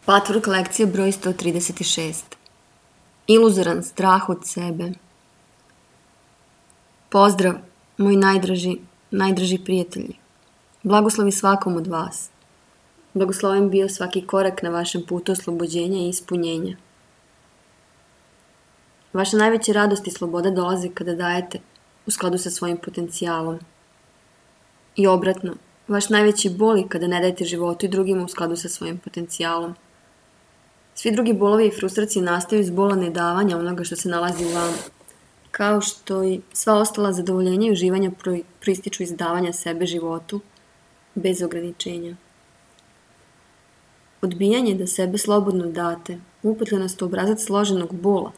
Patvork lekcija broj 136. Iluzoran strah od sebe. Pozdrav, moji najdraži prijatelji. Blagoslovi svakom od vas. Blagosloven bio svaki korak na vašem putu oslobođenja i ispunjenja. Vaša najveća radost i sloboda dolaze kada dajete u skladu sa svojim potencijalom. I obratno, vaš najveći bol je kada ne dajete životu i drugima u skladu sa svojim potencijalom. Svi drugi bolovi i frustracije nastaju iz bola nedavanja onoga što se nalazi u vama, kao što i sva ostala zadovoljenja i uživanja proističu iz davanja sebe životu, bez ograničenja. Odbijanje da sebe slobodno date, upetljenost u obrazac složenog bola,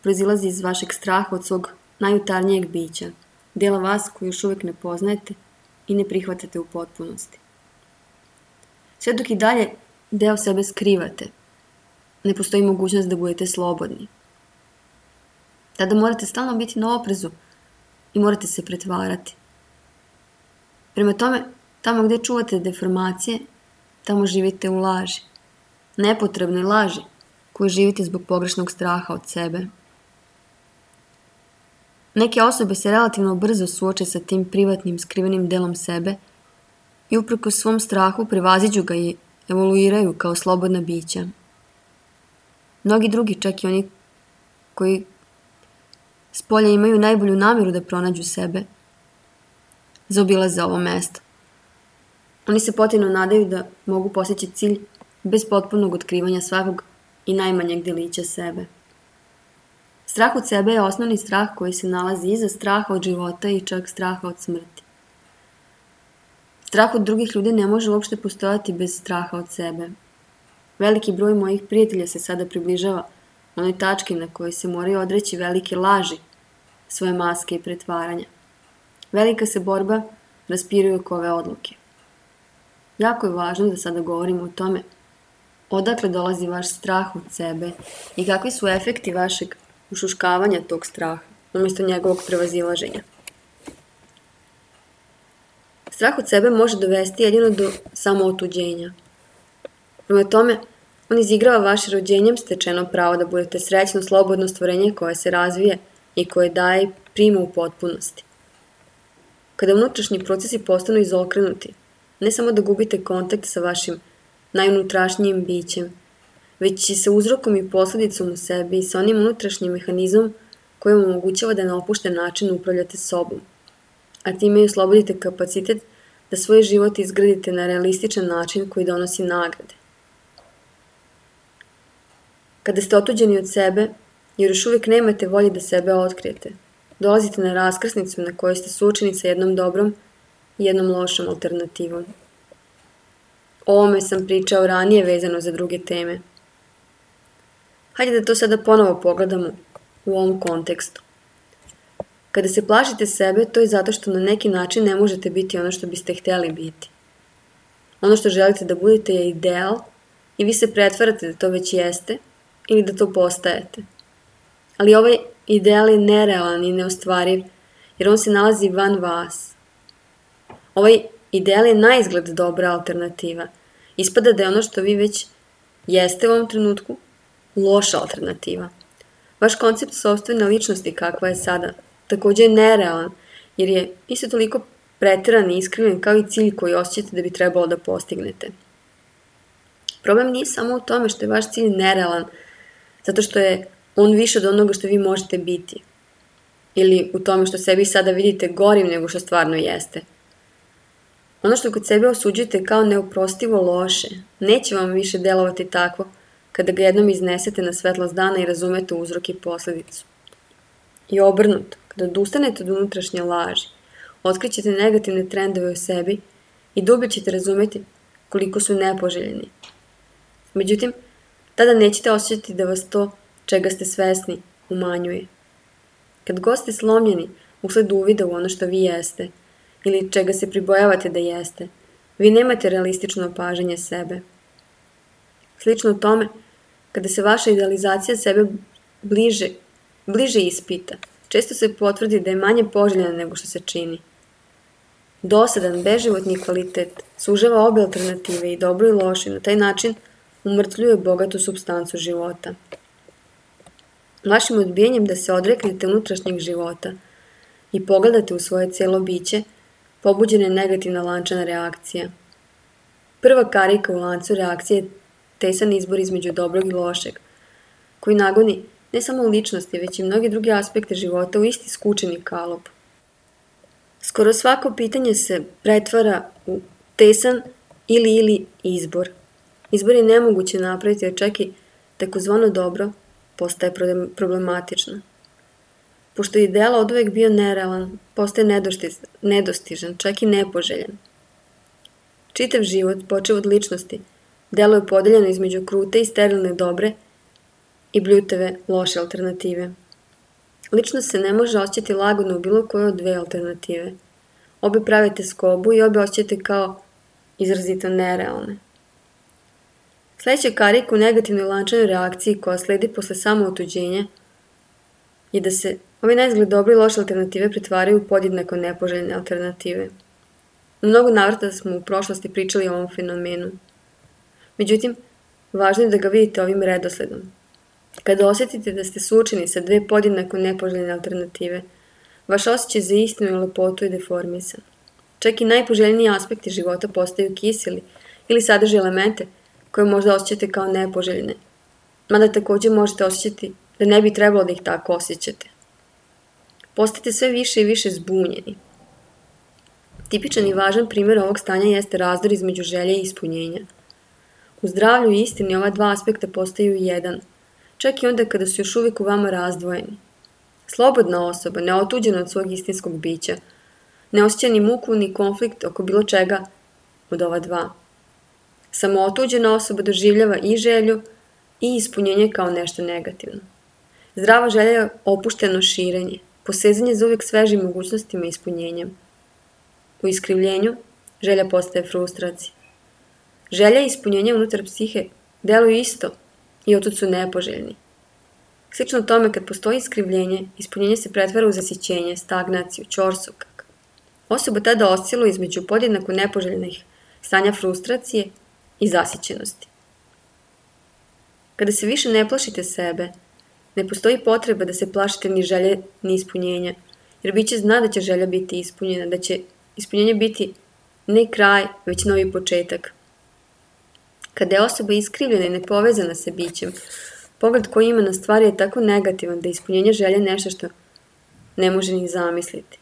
proizilazi iz vašeg straha od svog najutarnijeg bića, dela vas koji još uvijek ne poznajete i ne prihvatate u potpunosti. Sve dok i dalje deo sebe skrivate, ne postoji mogućnost da budete slobodni. Tada morate stalno biti na oprezu i morate se pretvarati. Prema tome, tamo gdje čuvate deformacije, tamo živite u laži. Nepotrebnoj laži koju živite zbog pogrešnog straha od sebe. Neke osobe se relativno brzo suoče sa tim privatnim skrivenim delom sebe i uprkos svom strahu prevaziđu ga i evoluiraju kao slobodna bića. Mnogi drugi, čak i oni koji s polja imaju najbolju namjeru da pronađu sebe, zaobilaze ovo mesto. Oni se potajno nadaju da mogu postići cilj bez potpunog otkrivanja svakog i najmanjeg delića sebe. Strah od sebe je osnovni strah koji se nalazi iza straha od života i čak straha od smrti. Strah od drugih ljudi ne može uopšte postojati bez straha od sebe. Veliki broj mojih prijatelja se sada približava onoj tački na kojoj se moraju odreći velike laži, svoje maske i pretvaranja. Velika se borba raspiruje oko ove odluke. Jako je važno da sada govorimo o tome odakle dolazi vaš strah od sebe i kakvi su efekti vašeg ušuškavanja tog straha umjesto njegovog prevazilaženja. Strah od sebe može dovesti jedino do samootuđenja. Prema tome, on izigrava vaše rođenjem stečeno pravo da budete srećno, slobodno stvorenje koje se razvije i koje daje i prima u potpunosti. Kada unutrašnji procesi postanu izokrenuti, ne samo da gubite kontakt sa vašim najunutrašnjijim bićem, već i sa uzrokom i posljedicom u sebi i sa onim unutrašnjim mehanizmom koji vam omogućava da na opušten način upravljate sobom, a time i oslobodite kapacitet da svoj život izgradite na realističan način koji donosi nagrade. Kada ste otuđeni od sebe, jer još uvijek nemate volje da sebe otkrijete, dolazite na raskrsnicu na kojoj ste suočeni sa jednom dobrom i jednom lošom alternativom. O ovome sam pričao ranije vezano za druge teme. Hajde da to sada ponovo pogledamo u ovom kontekstu. Kada se plašite sebe, to je zato što na neki način ne možete biti ono što biste htjeli biti. Ono što želite da budete je ideal i vi se pretvarate da to već jeste ili da to postajete. Ali ovaj ideal je nerealan i neostvariv jer on se nalazi van vas. Ovaj ideal je naizgled dobra alternativa. Ispada da je ono što vi već jeste u ovom trenutku loša alternativa. Vaš koncept sopstvene ličnosti kakva je sada također je nerealan jer je isto toliko pretjeran i iskriven kao i cilj koji osjećate da bi trebalo da postignete. Problem nije samo u tome što je vaš cilj nerealan, zato što je on više od onoga što vi možete biti. Ili u tome što sebi sada vidite gorim nego što stvarno jeste. Ono što kod sebe osuđujete kao neoprostivo loše, neće vam više delovati tako kada ga jednom iznesete na svetlost dana i razumete uzrok i posljedicu. I obrnuto, kada odustanete od unutrašnje laži, otkrićete negativne trendove u sebi i dublje ćete razumjeti koliko su nepoželjeni. Međutim, tada nećete osjećati da vas to, čega ste svesni, umanjuje. Kad god ste slomljeni usled uvida u ono što vi jeste, ili čega se pribojavate da jeste, vi nemate realistično opažanje sebe. Slično tome, kada se vaša idealizacija sebe bliže ispita, često se potvrdi da je manje poželjena nego što se čini. Dosadan, beživotni kvalitet sužava obje alternative i dobro i loše, na taj način umrtvljuje bogatu supstancu života. Vašim odbijanjem da se odreknete unutrašnjeg života i pogledate u svoje cijelo biće, pobuđena je negativna lančana reakcija. Prva karika u lancu reakcije je tesan izbor između dobrog i lošeg, koji nagoni ne samo ličnosti, već i mnoge druge aspekte života u isti skučeni kalup. Skoro svako pitanje se pretvara u tesan ili izbor. Izbor je nemoguće napraviti, jer čak i takozvano dobro postaje problematično. Pošto je ideal oduvek bio nerealan, postaje nedostižan, čak i nepoželjan. Čitav život, počev od ličnosti, deluje podeljeno između krute i sterilne dobre i bljutave loše alternative. Ličnost se ne može osjećati lagodno u bilo koje od dve alternative. Obe pravite skobu i obe osjećate kao izrazito nerealne. Sledeća karika u negativnoj lančanoj reakciji koja sledi posle samootuđenja je da se ove neizgled dobre i loše alternative pretvaraju u podjednako nepoželjne alternative. U mnogo navrata smo u prošlosti pričali o ovom fenomenu. Međutim, važno je da ga vidite ovim redosledom. Kada osjetite da ste suočeni sa dve podjednako nepoželjne alternative, vaš osjećaj za istinu i lepotu je deformisan. Čak i najpoželjniji aspekti života postaju kiseli ili sadrže elemente koje možda osjećate kao nepoželjne, mada takođe možete osjećati da ne bi trebalo da ih tako osjećate. Postajete sve više i više zbunjeni. Tipičan i važan primjer ovog stanja jeste razdor između želje i ispunjenja. U zdravlju i istini ova dva aspekta postaju jedan, čak i onda kada su još uvijek u vama razdvojeni. Slobodna osoba, neotuđena od svog istinskog bića, ne osjeća ni muku ni konflikt oko bilo čega od ova dva. Samo otuđena osoba doživljava i želju i ispunjenje kao nešto negativno. Zdrava želja je opušteno širenje, posezanje za uvijek svežim mogućnostima i ispunjenjem. U iskrivljenju želja postaje frustracija. Želja i ispunjenje unutar psihe deluju isto i otud su nepoželjni. Slično tome, kad postoji iskrivljenje, ispunjenje se pretvara u zasićenje, stagnaciju, ćorsokak. Osoba tada osciluje između podjednako nepoželjnih stanja frustracije i zasićenosti. Kada se više ne plašite sebe, ne postoji potreba da se plašite ni želje ni ispunjenja, jer biće zna da će želja biti ispunjena, da će ispunjenje biti ne kraj, već novi početak. Kada je osoba iskrivljena i nepovezana sa bićem, pogled koji ima na stvari je tako negativan da ispunjenje želje nešto što ne može ni zamisliti.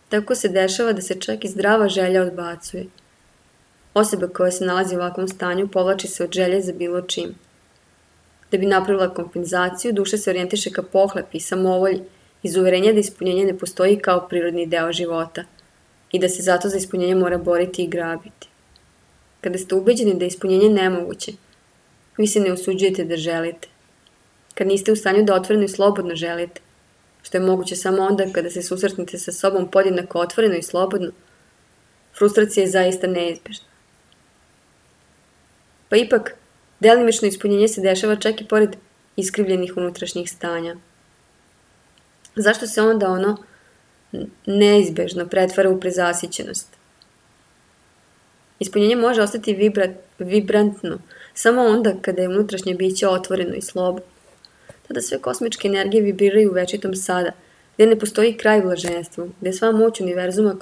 Tako se dešava da se čak i zdrava želja odbacuje. Osoba koja se nalazi u ovakvom stanju povlači se od želje za bilo čim. Da bi napravila kompenzaciju, duša se orijentiše ka pohlepi i samovolji iz uverenja da ispunjenje ne postoji kao prirodni deo života i da se zato za ispunjenje mora boriti i grabiti. Kada ste ubeđeni da je ispunjenje nemoguće, vi se ne usuđujete da želite. Kad niste u stanju da otvoreno i slobodno želite, što je moguće samo onda kada se susretnete sa sobom podjednako otvoreno i slobodno, frustracija je zaista neizbežna. Pa ipak, delimično ispunjenje se dešava čak i pored iskrivljenih unutrašnjih stanja. Zašto se onda ono neizbežno pretvara u prezasićenost? Ispunjenje može ostati vibrantno samo onda kada je unutrašnje biće otvoreno i slobodno. Tada sve kosmičke energije vibriraju u večitom sada, gdje ne postoji kraj blaženstvu, gdje sva moć univerzuma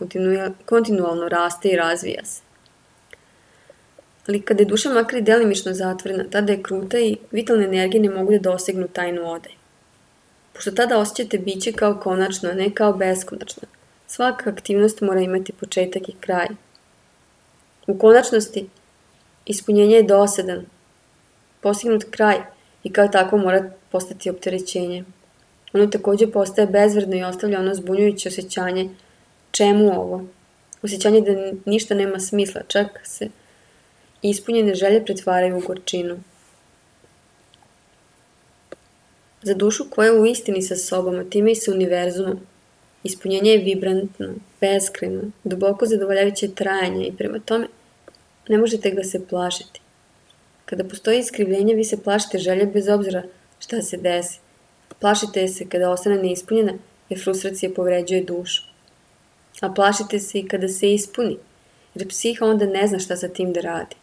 kontinualno raste i razvija se. Ali kada je duša makar i delimično zatvorena, tada je kruta i vitalne energije ne mogu da dosegnu tajnu odaj. Pošto tada osjećate biće kao konačno, a ne kao beskonačno, svaka aktivnost mora imati početak i kraj. U konačnosti, ispunjenje je dosadan, postignut kraj i kao tako mora postati opterećenje. Ono takođe postaje bezvredno i ostavlja ono zbunjujuće osjećanje čemu ovo? Osjećanje da ništa nema smisla, čak se ispunjene želje pretvaraju u gorčinu. Za dušu koja je u istini sa sobom, a time i sa univerzumom, ispunjenje je vibrantno, beskrajno, duboko zadovoljavajuće trajanje i prema tome ne možete ga se plašiti. Kada postoji iskrivljenje, vi se plašite želje bez obzira šta se desi. Plašite se kada ostane neispunjena jer frustracija povređuje dušu. A plašite se i kada se ispuni, jer psiha onda ne zna šta sa tim da radi.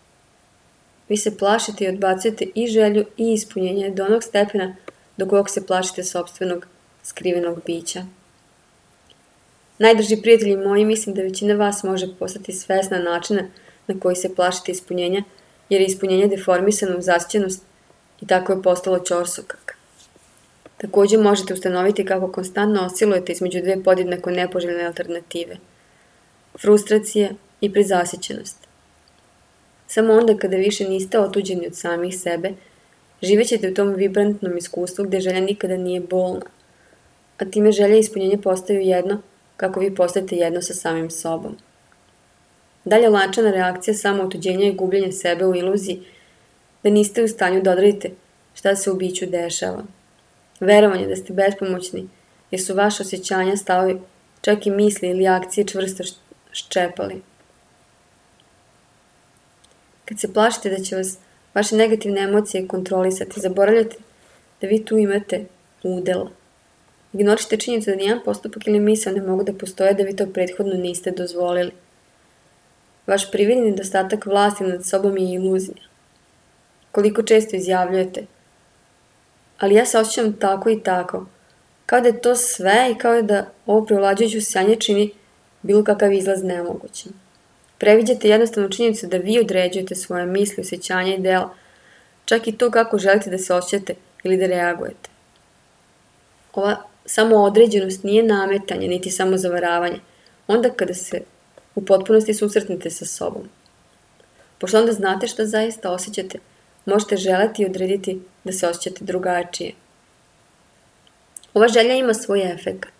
Vi se plašite i odbacujete i želju i ispunjenje do onog stepena do kojeg se plašite sopstvenog skrivenog bića. Najdrži prijatelji moji, mislim da većina vas može postati svesna načina na koji se plašite ispunjenja, jer je ispunjenje deformisano u zasićenost i tako je postalo ćorsokak. Također možete ustanoviti kako konstantno oscilujete između dve podjednako nepoželjne alternative – frustracije i prezasićenost. Samo onda kada više niste otuđeni od samih sebe, živećete u tom vibrantnom iskustvu gdje želja nikada nije bolna, a time želja i ispunjenje postaju jedno kako vi postajete jedno sa samim sobom. Dalje lančana reakcija samo otuđenja i gubljenja sebe u iluziji da niste u stanju da odredite šta se u biću dešava. Verovanje da ste bespomoćni jer su vaše osjećanja, stavovi, čak i misli ili akcije čvrsto ščepali. Kad se plašite da će vas vaše negativne emocije kontrolisati, zaboravljate da vi tu imate udela. Ignorišite činjenicu da nijedan postupak ili misao ne mogu da postoje da vi to prethodno niste dozvolili. Vaš prividni nedostatak vlasti nad sobom je iluzija. Koliko često izjavljujete, ali ja se osjećam tako i tako, kao da je to sve i kao da ovo preovlađujuće osjećanje čini bilo kakav izlaz nemogućim. Previđate jednostavnu činjenicu da vi određujete svoje misli, osjećanja i dela, čak i to kako želite da se osjećate ili da reagujete. Ova samoodređenost nije nametanje, niti samozavaravanje, onda kada se u potpunosti susretnete sa sobom. Pošto onda znate šta zaista osjećate, možete želeti i odrediti da se osjećate drugačije. Ova želja ima svoj efekat.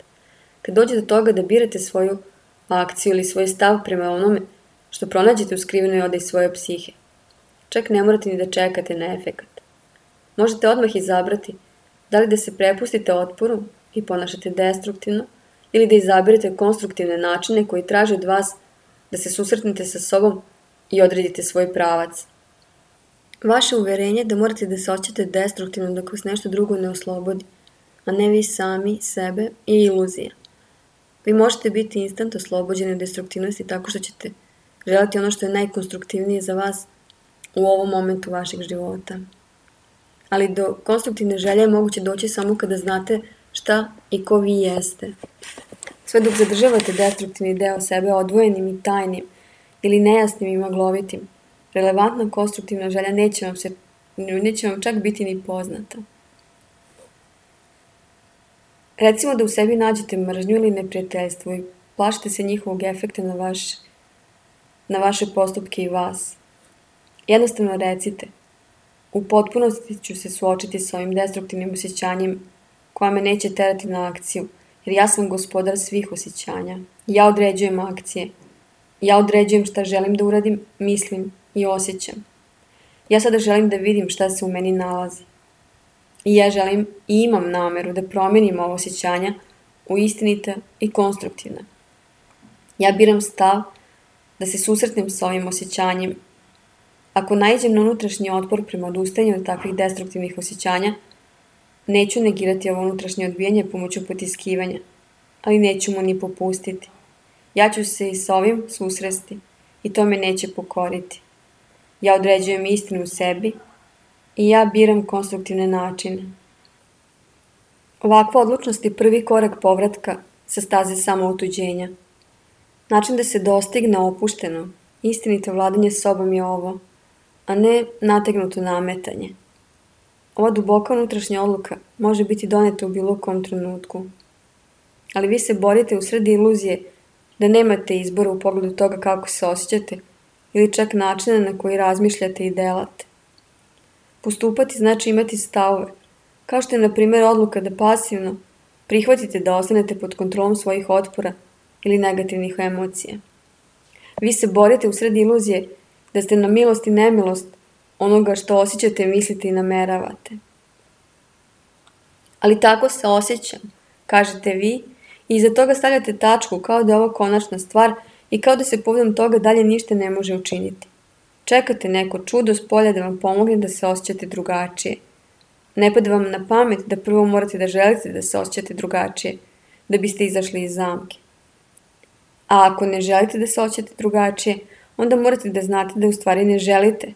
Kad dođe do toga da birate svoju akciju ili svoj stav prema onome što pronađete u skrivenoj odaji svoje psihe, čak ne morate ni da čekate na efekat. Možete odmah izabrati da li da se prepustite otporu i ponašate destruktivno ili da izabirate konstruktivne načine koji traže od vas da se susretnete sa sobom i odredite svoj pravac. Vaše uverenje da morate da se osjećate destruktivno dok vas nešto drugo ne oslobodi, a ne vi sami, sebe, je iluzija. Vi možete biti instant oslobođeni od destruktivnosti tako što ćete želiti ono što je najkonstruktivnije za vas u ovom momentu vašeg života. Ali do konstruktivne želje je moguće doći samo kada znate šta i ko vi jeste. Sve dok zadržavate destruktivni deo sebe odvojenim i tajnim ili nejasnim i maglovitim, relevantna konstruktivna želja neće vam čak biti ni poznata. Recimo da u sebi nađete mržnju ili neprijateljstvo i plašite se njihovog efekta na vaše postupke i vas. Jednostavno recite, u potpunosti ću se suočiti s ovim destruktivnim osjećanjem koja me neće terati na akciju, jer ja sam gospodar svih osjećanja. Ja određujem akcije. Ja određujem šta želim da uradim, mislim i osjećam. Ja sada želim da vidim šta se u meni nalazi. I ja želim i imam nameru da promijenim ovo osjećanja u istinite i konstruktivne. Ja biram stav da se susretnem s ovim osjećanjem. Ako naiđem na unutrašnji otpor prema odustajanju od takvih destruktivnih osjećanja, neću negirati ovo unutrašnje odbijanje pomoću potiskivanja, ali neću mu ni popustiti. Ja ću se i s ovim susresti i to me neće pokoriti. Ja određujem istinu u sebi i ja biram konstruktivne načine. Ovakva odlučnost je prvi korak povratka sa staze samootuđenja. Način da se dostigne opušteno, istinito vladanje sobom je ovo, a ne nategnuto nametanje. Ova duboka unutrašnja odluka može biti doneta u bilo kom trenutku. Ali vi se borite u sred iluzije da nemate izbora u pogledu toga kako se osjećate ili čak načina na koji razmišljate i delate. Postupati znači imati stavove, kao što je na primjer odluka da pasivno prihvatite da ostanete pod kontrolom svojih otpora ili negativnih emocija. Vi se borite u sred iluzije da ste na milost i nemilost onoga što osjećate, mislite i nameravate. Ali tako se osjećam, kažete vi, i iza toga stavljate tačku kao da je ovo konačna stvar i kao da se povodom toga dalje ništa ne može učiniti. Čekate neko čudo s polja da vam pomogne da se osjećate drugačije. Ne pada vam na pamet da prvo morate da želite da se osjećate drugačije, da biste izašli iz zamke. A ako ne želite da se osjećate drugačije, onda morate da znate da u stvari ne želite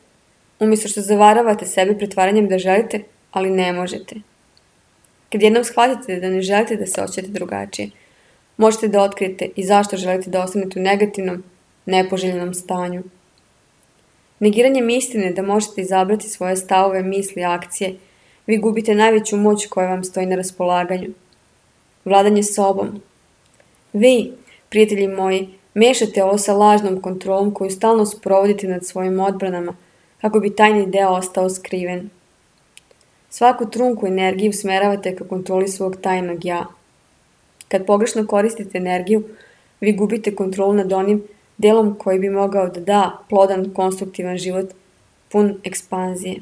Umjesto što zavaravate sebe pretvaranjem da želite, ali ne možete. Kad jednom shvatite da ne želite da se osjećate drugačije, možete da otkrijete i zašto želite da ostanete u negativnom, nepoželjenom stanju. Negiranjem istine da možete izabrati svoje stavove, misli, akcije, vi gubite najveću moć koja vam stoji na raspolaganju. Vladanje sobom. Vi, prijatelji moji, mešate ovo sa lažnom kontrolom koju stalno sprovodite nad svojim odbranama, kako bi tajni deo ostao skriven. Svaku trunku energiju usmeravate ka kontroli svog tajnog ja. Kad pogrešno koristite energiju, vi gubite kontrolu nad onim delom koji bi mogao da da plodan, konstruktivan život, pun ekspanzije.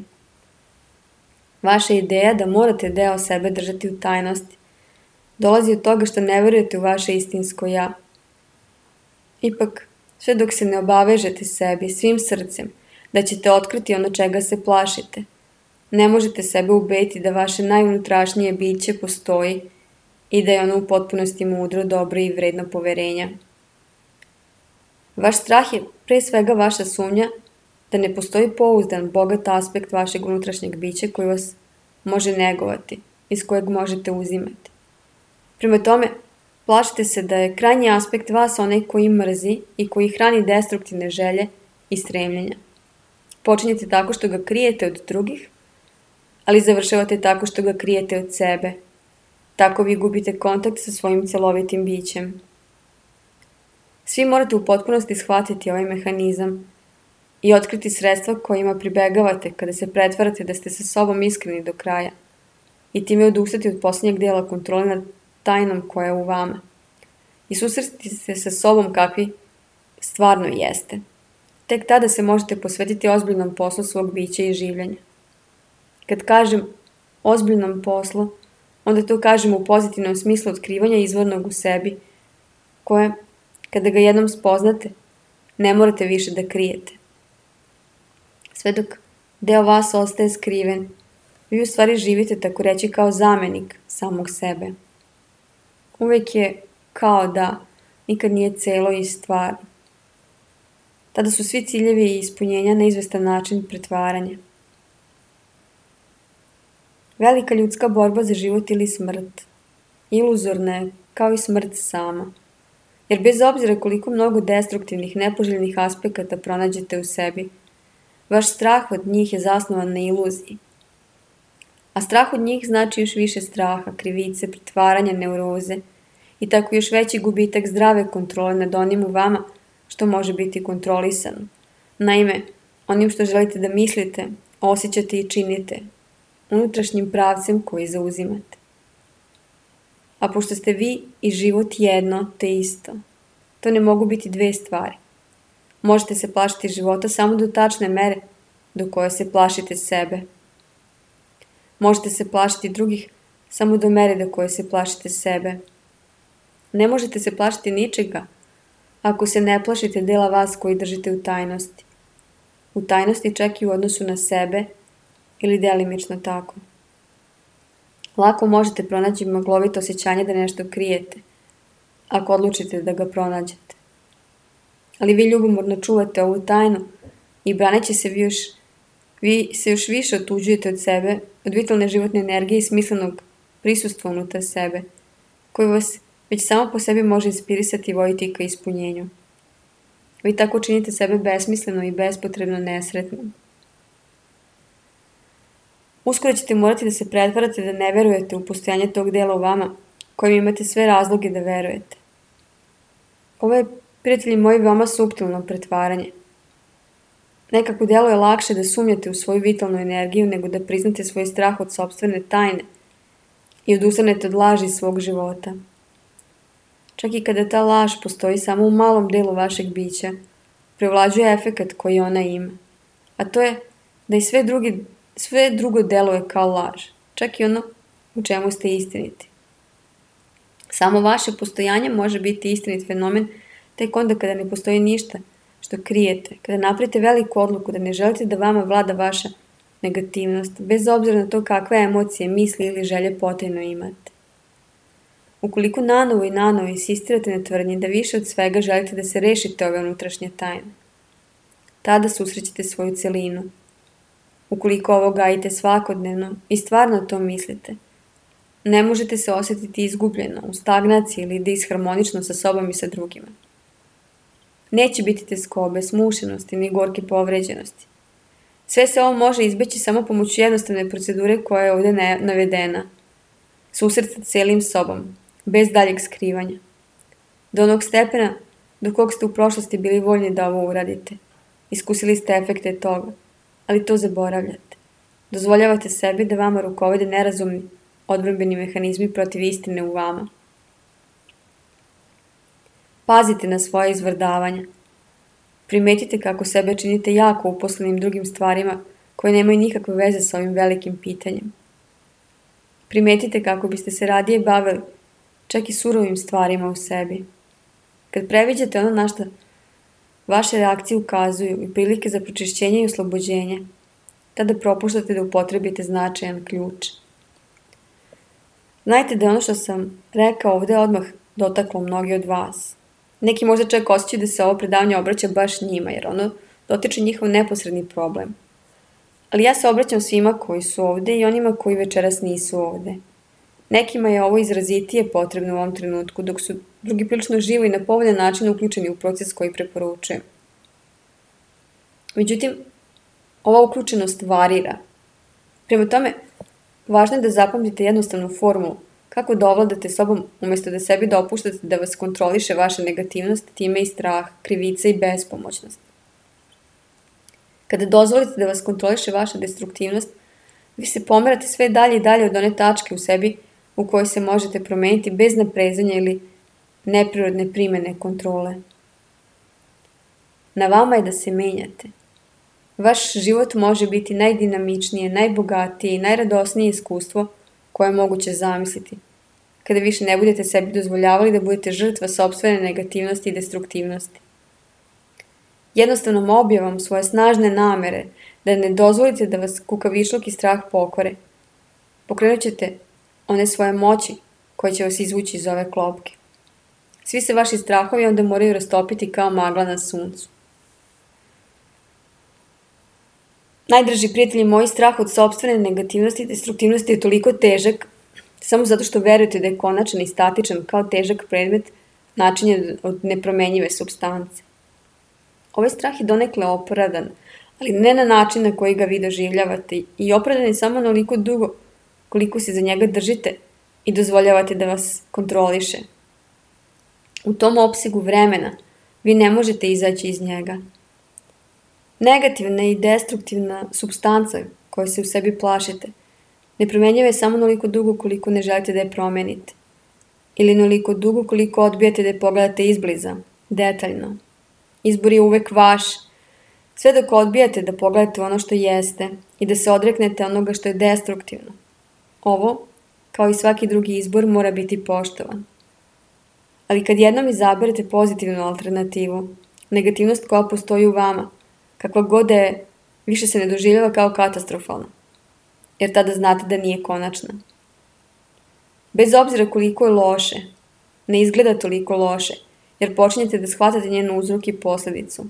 Vaša ideja da morate deo sebe držati u tajnosti dolazi od toga što ne verujete u vaše istinsko ja. Ipak, sve dok se ne obavežete sebi svim srcem da ćete otkriti ono čega se plašite, ne možete sebe ubediti da vaše najunutrašnije biće postoji i da je ono u potpunosti mudro, dobro i vredno poverenja. Vaš strah je pre svega vaša sumnja da ne postoji pouzdan, bogat aspekt vašeg unutrašnjeg bića koji vas može negovati, iz kojeg možete uzimati. Prema tome, plašite se da je krajnji aspekt vas onaj koji mrzi i koji hrani destruktivne želje i stremljenja. Počinjete tako što ga krijete od drugih, ali završavate tako što ga krijete od sebe. Tako vi gubite kontakt sa svojim celovitim bićem. Svi morate u potpunosti shvatiti ovaj mehanizam i otkriti sredstva kojima pribegavate kada se pretvarate da ste sa sobom iskreni do kraja i time odustati od posljednjeg dela kontrole nad tajnom koja je u vama i susresti se sa sobom kakvi stvarno jeste. Tek tada se možete posvetiti ozbiljnom poslu svog bića i življenja. Kad kažem ozbiljnom poslu, onda to kažem u pozitivnom smislu otkrivanja izvornog u sebi, koje, kada ga jednom spoznate, ne morate više da krijete. Sve dok deo vas ostaje skriven, vi u stvari živite tako reći kao zamenik samog sebe. Uvek je kao da, nikad nije celo i stvarno. Tada su svi ciljevi i ispunjenja na izvestan način pretvaranja. Velika ljudska borba za život ili smrt iluzorna je kao i smrt sama, jer bez obzira koliko mnogo destruktivnih, nepoželjnih aspekata pronađete u sebi, vaš strah od njih je zasnovan na iluziji. A strah od njih znači još više straha, krivice, pretvaranja, neuroze i tako još veći gubitak zdrave kontrole nad onim u vama što može biti kontrolisano. Naime, onim što želite da mislite, osjećate i činite, unutrašnjim pravcem koji zauzimate. A pošto ste vi i život jedno te isto, to ne mogu biti dve stvari. Možete se plašiti života samo do tačne mere do koje se plašite sebe. Možete se plašiti drugih samo do mere do koje se plašite sebe. Ne možete se plašiti ničega ako se ne plašite dela vas koji držite u tajnosti. U tajnosti čak i u odnosu na sebe ili delimično tako. Lako možete pronaći maglovito osjećanje da nešto krijete, ako odlučite da ga pronađete. Ali vi ljubomorno čuvate ovu tajnu i braneći se vi se još više otuđujete od sebe, od vitalne životne energije i smislenog prisustva unutar sebe, koji vas već samo po sebi može inspirisati i voditi ka ispunjenju. Vi tako činite sebe besmisleno i bespotrebno nesretnom. Uskoro ćete morati da se pretvarate da ne verujete u postojanje tog dela u vama, kojim imate sve razloge da verujete. Ovo je, prijatelji moji, veoma suptilno pretvaranje. Nekako delo je lakše da sumnjate u svoju vitalnu energiju nego da priznate svoj strah od sopstvene tajne i odustanete od laži svog života. Čak i kada ta laž postoji samo u malom delu vašeg bića, prevlađuje efekat koji ona ima, a to je da i sve drugo deluje kao laž, čak i ono u čemu ste istiniti. Samo vaše postojanje može biti istinit fenomen tek onda kada ne postoji ništa što krijete, kada napravite veliku odluku da ne želite da vama vlada vaša negativnost, bez obzira na to kakve emocije, misli ili želje potajno imate. Ukoliko nanovo i nanovo insistirate na tvrdnji da više od svega želite da se rešite ove unutrašnje tajne, tada susrećete svoju celinu. Ukoliko ovo gajite svakodnevno i stvarno to mislite, ne možete se osjetiti izgubljeno, u stagnaciji ili disharmonično sa sobom i sa drugima. Neće biti tjeskobe, smušenosti ni gorke povređenosti. Sve se ovo može izbeći samo pomoću jednostavne procedure koja je ovdje navedena. Susret sa cijelim sobom, bez daljeg skrivanja. Do onog stepena do kog ste u prošlosti bili voljni da ovo uradite. Iskusili ste efekte toga, ali to zaboravljate. Dozvoljavate sebi da vama rukovode nerazumni, odbrambeni mehanizmi protiv istine u vama. Pazite na svoje izvrdavanja. Primetite kako sebe činite jako uposlenim drugim stvarima koje nemaju nikakve veze sa ovim velikim pitanjem. Primetite kako biste se radije bavili čak i surovim stvarima u sebi. Kad previđate ono na što vaše reakcije ukazuju i prilike za pročišćenje i oslobođenje, tada propuštate da upotrebite značajan ključ. Znajte da je ono što sam rekao ovdje odmah dotaklo mnogi od vas. Neki možda čak osjećaju da se ovo predavanje obraća baš njima, jer ono dotiče njihov neposredni problem. Ali ja se obraćam svima koji su ovdje i onima koji večeras nisu ovdje. Nekima je ovo izrazitije potrebno u ovom trenutku, dok su drugi prilično živo i na povoljan način uključeni u proces koji preporučujem. Međutim, ova uključenost varira. Prema tome, važno je da zapamtite jednostavnu formulu kako da ovladate sobom umjesto da sebi dopuštate da vas kontroliše vaša negativnost, time i strah, krivica i bespomoćnost. Kada dozvolite da vas kontroliše vaša destruktivnost, vi se pomerate sve dalje i dalje od one tačke u sebi u kojoj se možete promijeniti bez naprezanja ili neprirodne primjene kontrole. Na vama je da se menjate. Vaš život može biti najdinamičnije, najbogatije i najradosnije iskustvo koje je moguće zamisliti, kada više ne budete sebi dozvoljavali da budete žrtva sopstvene negativnosti i destruktivnosti. Jednostavnom objavom svoje snažne namere da ne dozvolite da vas kukavičluk i strah pokore, pokrenut ćete one svoje moći koje će vas izvući iz ove klopke. Svi se vaši strahovi onda moraju rastopiti kao magla na suncu. Najdraži prijatelji moji, strah od sopstvene negativnosti i destruktivnosti je toliko težak samo zato što verujete da je konačan i statičan kao težak predmet načinjen od nepromenjive supstance. Ovaj strah je donekle opravdan, ali ne na način na koji ga vi doživljavate i opravdan je samo onoliko dugo koliko se za njega držite i dozvoljavate da vas kontroliše. U tom opsegu vremena vi ne možete izaći iz njega. Negativna i destruktivna supstanca koje se u sebi plašite nepromenjiva je samo onoliko dugo koliko ne želite da je promenite. Ili onoliko dugo koliko odbijate da je pogledate izbliza, detaljno. Izbor je uvek vaš, sve dok odbijate da pogledate ono što jeste i da se odreknete onoga što je destruktivno. Ovo, kao i svaki drugi izbor, mora biti poštovan. Ali kad jednom izaberete pozitivnu alternativu, negativnost koja postoji u vama, kakva god je, više se ne doživljava kao katastrofalna, jer tada znate da nije konačna. Bez obzira koliko je loše, ne izgleda toliko loše, jer počinjete da shvatate njen uzrok i posljedicu.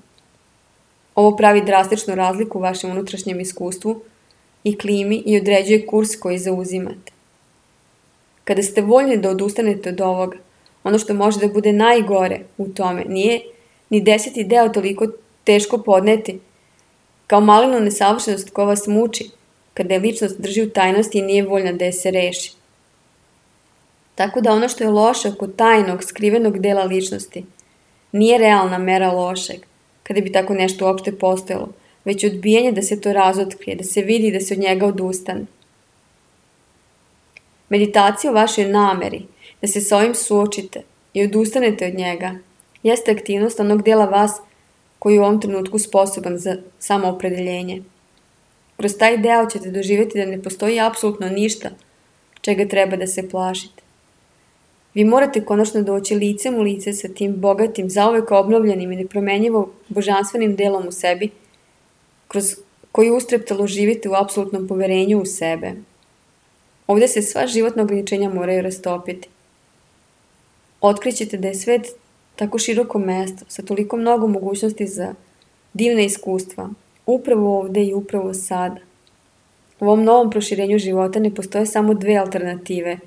Ovo pravi drastičnu razliku u vašem unutrašnjem iskustvu i klimi i određuje kurs koji zauzimate. Kada ste voljni da odustanete od ovoga, ono što može da bude najgore u tome nije ni 10. deo toliko teško podneti, kao malinu nesavršenost koja vas muči, kada je ličnost drži u tajnosti i nije voljna da je se reši. Tako da ono što je loše oko tajnog, skrivenog dela ličnosti nije realna mera lošeg, kada bi tako nešto uopšte postojalo, već odbijanje da se to razotkrije, da se vidi i da se od njega odustane. Meditacija o vašoj nameri, da se sa ovim suočite i odustanete od njega, jeste aktivnost onog dela vas koji je u ovom trenutku sposoban za samoopredeljenje. Kroz taj deo ćete doživjeti da ne postoji apsolutno ništa čega treba da se plašite. Vi morate konačno doći licem u lice sa tim bogatim, zauvek obnovljenim i nepromenjivo božanstvenim delom u sebi, kroz koji ustreptalo živite u apsolutnom poverenju u sebe. Ovdje se sva životna ograničenja moraju rastopiti. Otkrićete da je svet tako široko mesto, sa toliko mnogo mogućnosti za divne iskustva, upravo ovdje i upravo sada. U ovom novom proširenju života ne postoje samo dve alternative.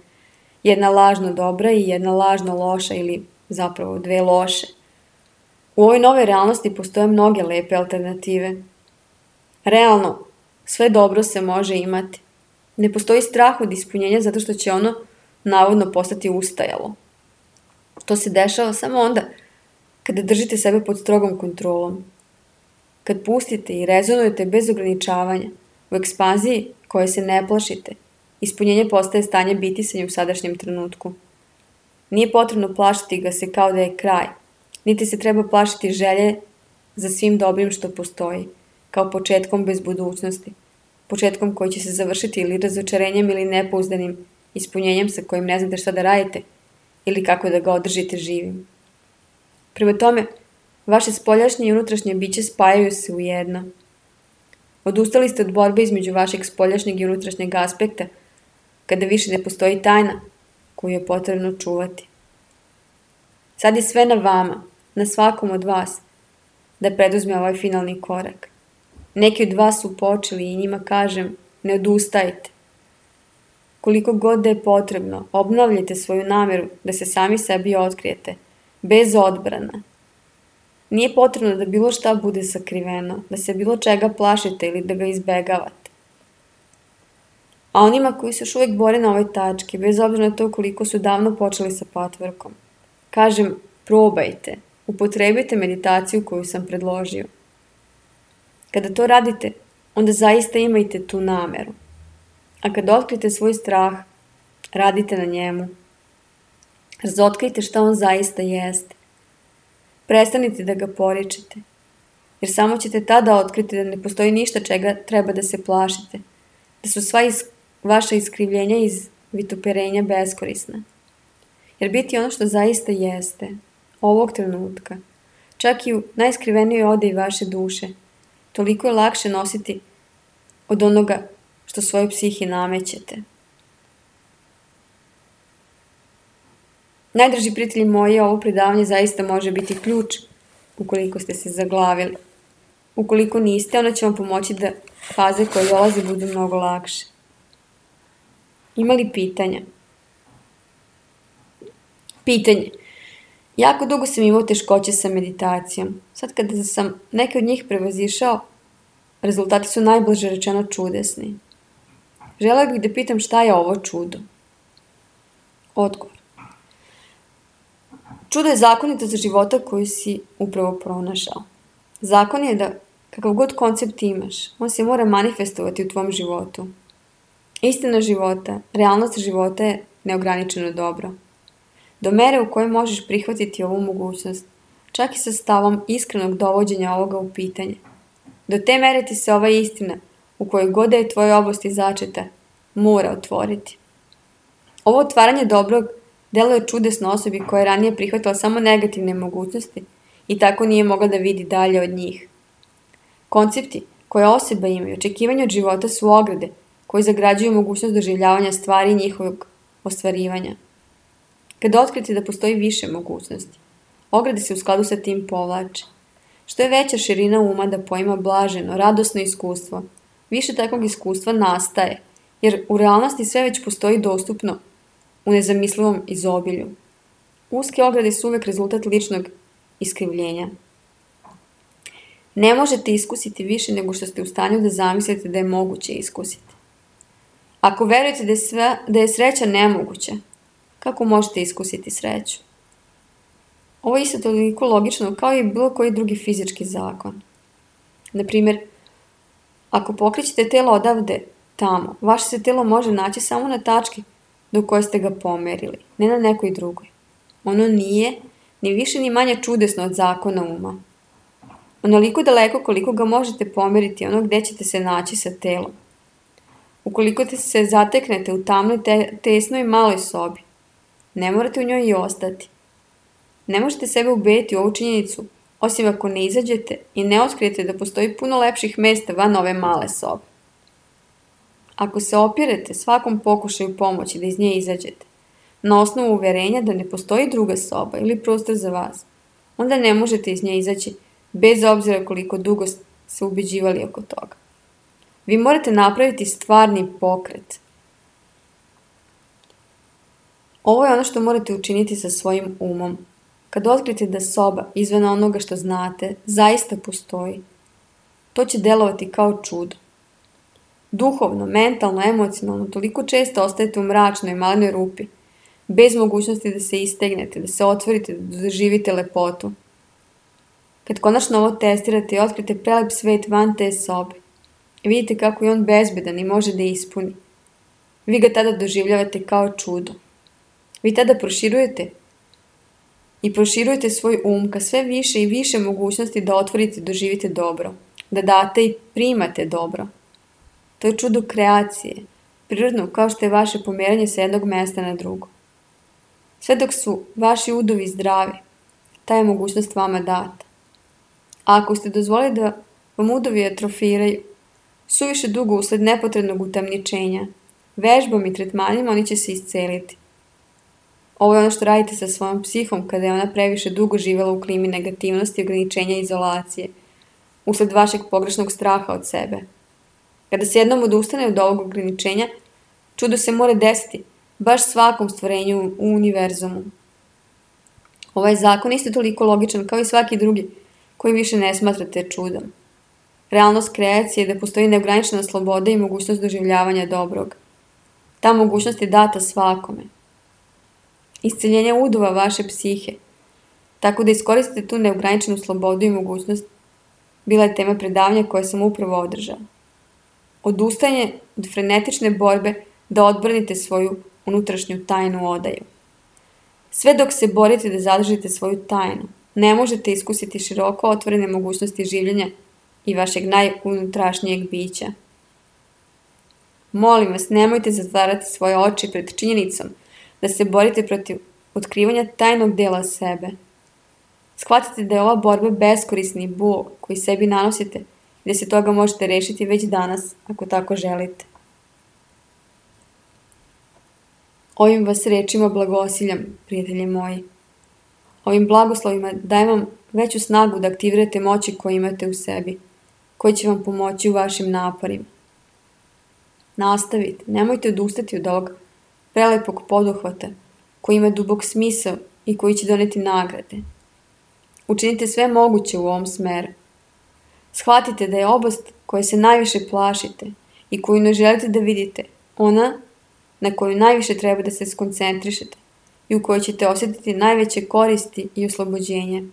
Jedna lažno dobra i jedna lažno loša ili zapravo dve loše. U ovoj nove realnosti postoje mnoge lepe alternative. Realno, sve dobro se može imati. Ne postoji strah od ispunjenja zato što će ono navodno postati ustajalo. To se dešava samo onda kada držite sebe pod strogom kontrolom. Kad pustite i rezonujete bez ograničavanja, u ekspanziji koje se ne plašite, ispunjenje postaje stanje bitisanja u sadašnjem trenutku. Nije potrebno plašiti ga se kao da je kraj, niti se treba plašiti želje za svim dobrim što postoji, kao početkom bez budućnosti, početkom koji će se završiti ili razočarenjem ili nepouzdanim ispunjenjem sa kojim ne znate šta da radite ili kako da ga održite živim. Prema tome, vaše spoljašnje i unutrašnje biće spajaju se u jedno. Odustali ste od borbe između vašeg spoljašnjeg i unutrašnjeg aspekta, kada više ne postoji tajna koju je potrebno čuvati. Sad je sve na vama, na svakom od vas, da preduzme ovaj finalni korak. Neki od vas su počeli i njima kažem, ne odustajte. Koliko god da je potrebno, obnavljajte svoju nameru da se sami sebi otkrijete, bez odbrana. Nije potrebno da bilo šta bude sakriveno, da se bilo čega plašite ili da ga izbegavate. A onima koji se još uvijek bore na ovoj tački, bez obzira na to koliko su davno počeli sa patvorkom, kažem, probajte, upotrebite meditaciju koju sam predložio. Kada to radite, onda zaista imajte tu nameru. A kada otkrite svoj strah, radite na njemu. Razotkrijte šta on zaista jeste. Prestanite da ga poričete, jer samo ćete tada otkriti da ne postoji ništa čega treba da se plašite, da su sva vaša iskrivljenja iz vituperenja beskorisna. Jer biti ono što zaista jeste, ovog trenutka, čak i u najskrivenijoj odeji vaše duše, toliko je lakše nositi od onoga što svojoj psihi namećete. Najdraži prijatelji moji, ovo predavanje zaista može biti ključ ukoliko ste se zaglavili. Ukoliko niste, ono će vam pomoći da faze koje dolaze budu mnogo lakše. Ima li pitanja? Pitanje. Jako dugo sam imao teškoće sa meditacijom. Sad kada sam neke od njih prevazišao, rezultati su najbliže rečeno čudesni. Želela bih da pitam šta je ovo čudo? Odgovor. Čudo je zakonito za života koju si upravo pronašao. Zakon je da kakav god koncept imaš, on se mora manifestovati u tvom životu. Istina života, realnost života je neograničeno dobro. Do mere u kojoj možeš prihvatiti ovu mogućnost, čak i sa stavom iskrenog dovođenja ovoga u pitanje. Do te mere ti se ova istina, u kojoj god je tvoje oblasti začeta, mora otvoriti. Ovo otvaranje dobrog deluje čudesno osobi koja je ranije prihvatila samo negativne mogućnosti i tako nije mogla da vidi dalje od njih. Koncepti koje osoba ima i očekivanja od života su ograde koji zagrađuju mogućnost doživljavanja stvari i njihovog ostvarivanja. Kada otkrite da postoji više mogućnosti, ograde se u skladu sa tim povlače. Što je veća širina uma da poima blaženo, radosno iskustvo, više takvog iskustva nastaje, jer u realnosti sve već postoji dostupno u nezamislivom izobilju. Uske ograde su uvek rezultat ličnog iskrivljenja. Ne možete iskusiti više nego što ste u stanju da zamislite da je moguće iskusiti. Ako verujete da je sreća nemoguća, kako možete iskusiti sreću? Ovo je isto toliko logično kao i bilo koji drugi fizički zakon. Naprimjer, ako pokrećete telo odavde tamo, vaše se telo može naći samo na tački do koje ste ga pomerili, ne na nekoj drugoj. Ono nije ni više ni manje čudesno od zakona uma. Onoliko daleko koliko ga možete pomeriti ono gde ćete se naći sa telom. Ukoliko se zateknete u tamnoj, tesnoj maloj sobi, ne morate u njoj i ostati. Ne možete sebe ubediti u ovu činjenicu, osim ako ne izađete i ne otkrijete da postoji puno lepših mesta van ove male sobe. Ako se opirete svakom pokušaju pomoći da iz nje izađete, na osnovu uverenja da ne postoji druga soba ili prostor za vas, onda ne možete iz nje izaći bez obzira koliko dugo se ubeđivali oko toga. Vi morate napraviti stvarni pokret. Ovo je ono što morate učiniti sa svojim umom. Kad otkrijete da soba, izvan onoga što znate, zaista postoji, to će delovati kao čudo. Duhovno, mentalno, emocionalno, toliko često ostajete u mračnoj, malenoj rupi, bez mogućnosti da se istegnete, da se otvorite, da doživite lepotu. Kad konačno ovo testirate i otkrite prelep svet van te sobe, vidite kako je on bezbedan i može da ispuni. Vi ga tada doživljavate kao čudo. Vi tada proširujete svoj ka sve više i više mogućnosti da otvorite i doživite dobro, da date i primate dobro. To je čudo kreacije, prirodno kao što je vaše pomeranje sa jednog mesta na drugo. Sve dok su vaši udovi zdravi, ta je mogućnost vama data. A ako ste dozvolili da vam udovi atrofiraju, suviše dugo usled nepotrebnog utamničenja, vežbom i tretmanima oni će se isceliti. Ovo je ono što radite sa svojom psihom kada je ona previše dugo živjela u klimi negativnosti, ograničenja i izolacije, usled vašeg pogrešnog straha od sebe. Kada se jednom odustane od ovog ograničenja, čudo se mora desiti baš svakom stvorenju u univerzumu. Ovaj zakon isto toliko logičan kao i svaki drugi koji više ne smatrate čudom. Realnost kreacije je da postoji neograničena sloboda i mogućnost doživljavanja dobrog. Ta mogućnost je data svakome. Isceljenje udova vaše psihe, tako da iskoristite tu neograničenu slobodu i mogućnost, bila je tema predavanja koje sam upravo održala. Odustajanje od frenetične borbe da odbranite svoju unutrašnju tajnu odaju. Sve dok se borite da zadržite svoju tajnu, ne možete iskusiti široko otvorene mogućnosti življenja i vašeg najunutrašnjeg bića. Molim vas, nemojte zatvarati svoje oči pred činjenicom da se borite protiv otkrivanja tajnog dela sebe. Shvatite da je ova borba beskorisni bol koji sebi nanosite i da se toga možete rešiti već danas, ako tako želite. Ovim vas rečima blagosiljam, prijatelji moji. Ovim blagoslovima dajem vam veću snagu da aktivirate moći koje imate u sebi, koji će vam pomoći u vašim naporima. Nastavite, nemojte odustati od ovog prelepog poduhvata koji ima dubok smisao i koji će doneti nagrade. Učinite sve moguće u ovom smeru. Shvatite da je oblast koje se najviše plašite i koju ne želite da vidite, ona na koju najviše treba da se skoncentrišete i u kojoj ćete osjetiti najveće koristi i oslobođenje.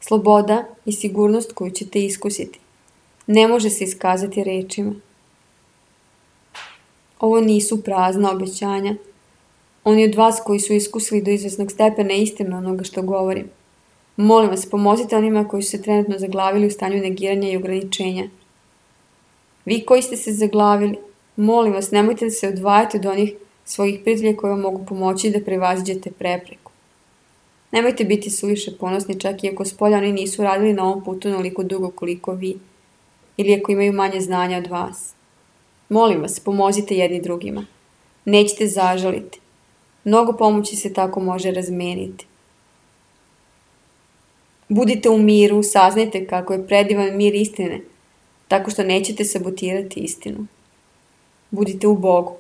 Sloboda i sigurnost koju ćete iskusiti ne može se iskazati rečima. Ovo nisu prazna obećanja. Oni od vas koji su iskusili do izvesnog stepena istinu onoga što govorim. Molim vas, pomozite onima koji su se trenutno zaglavili u stanju negiranja i ograničenja. Vi koji ste se zaglavili, molim vas, nemojte da se odvajate od onih svojih prijatelja koji vam mogu pomoći da prevaziđete prepreku. Nemojte biti suviše ponosni čak i ako spolja oni nisu radili na ovom putu onoliko dugo koliko vi, ili ako imaju manje znanja od vas. Molim vas, pomozite jedni drugima. Nećete zažaliti. Mnogo pomoći se tako može razmeniti. Budite u miru, saznajte kako je predivan mir istine, tako što nećete sabotirati istinu. Budite u Bogu.